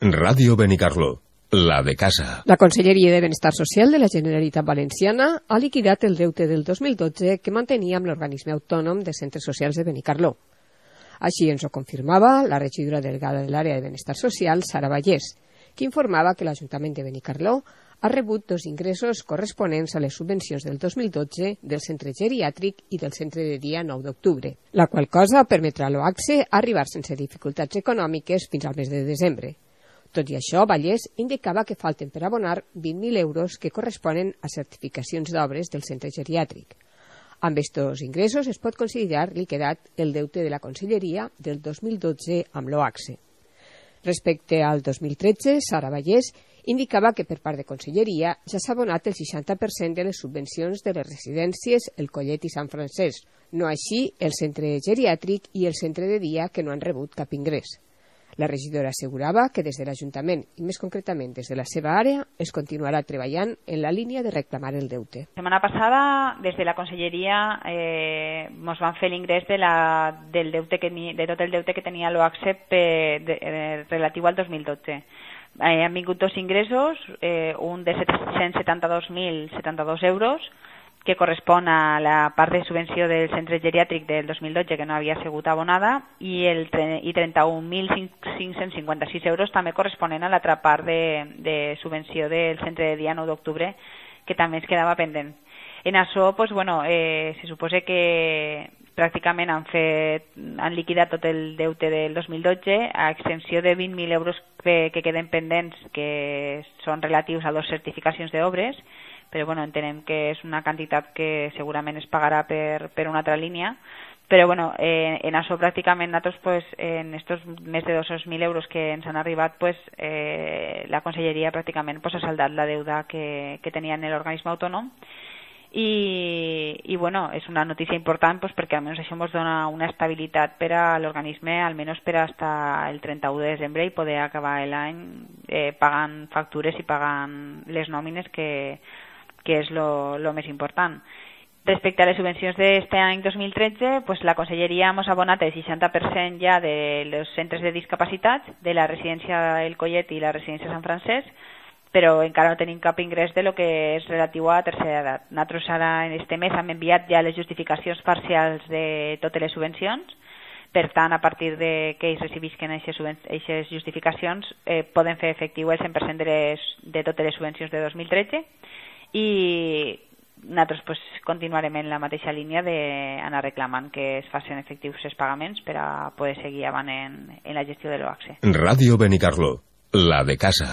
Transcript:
Ràdio Benicarló, la de casa. La Conselleria de Benestar Social de la Generalitat Valenciana ha liquidat el deute del 2012 que mantenia amb l'organisme autònom de centres socials de Benicarló. Així ens ho confirmava la regidora delegada de l'àrea de Benestar Social, Sara Vallès, que informava que l'Ajuntament de Benicarló ha rebut dos ingressos corresponents a les subvencions del 2012 del centre geriàtric i del centre de dia 9 d'octubre, la qual cosa permetrà a l'OACSE arribar sense dificultats econòmiques fins al mes de desembre. Tot i això, Vallès indicava que falten per abonar 20.000 euros que corresponen a certificacions d'obres del centre geriàtric. Amb estos ingressos es pot considerar liquidat el deute de la Conselleria del 2012 amb l'OACSE. Respecte al 2013, Sara Vallès indicava que per part de Conselleria ja s'ha abonat el 60% de les subvencions de les residències El Collet i Sant Francesc, no així el centre geriàtric i el centre de dia que no han rebut cap ingrés. La regidora assegurava que des de l'Ajuntament, i més concretament des de la seva àrea, es continuarà treballant en la línia de reclamar el deute. La setmana passada, des de la Conselleria, ens van fer l'ingrés de tot el deute que tenia l'OACSE relatiu al 2012. Han vingut dos ingressos, un de 772.072 euros, que correspon a la part de subvenció del centre geriàtric del 2012 que no havia sigut abonada, i 31.556 euros també corresponen a l'altra part de subvenció del centre de dia 9 d'octubre, que també ens quedava pendent. En això, se suposa que pràcticament han liquidat tot el deute del 2012, a excepció de 20.000 euros que queden pendents, que són relatius a 2 certificacions d'obres, però entenem que és una quantitat que segurament es pagarà per una altra línia. Però en això pràcticament nosaltres, en aquests més de 200.000 euros que ens han arribat, la Conselleria pràcticament ha saldat la deuda que tenia en l'organisme autònom. I és una notícia important perquè almenys això ens dona una estabilitat per a l'organisme, almenys per fins el 31 de desembre, i poder acabar l'any pagant factures i pagant les nòmines, que és el més important. Respecte a les subvencions d'aquest any 2013, la Conselleria ens ha abonat el 60% ja dels centres de discapacitats, de la residència El Collet i la residència Sant Francesc, però encara no tenim cap ingrés de lo que és relatiu a tercera edat. Nosaltres ara en este mes hem enviat ja les justificacions parcials de totes les subvencions. Per tant, a partir de que ells recibisquen aquestes justificacions, poden fer efectiu el 100% de totes les subvencions de 2013, i nosaltres continuarem en la mateixa línia d'anar reclamant que es facin efectius els pagaments per a poder seguir avant en la gestió de l'OACSE. Ràdio Benicarló, la de casa.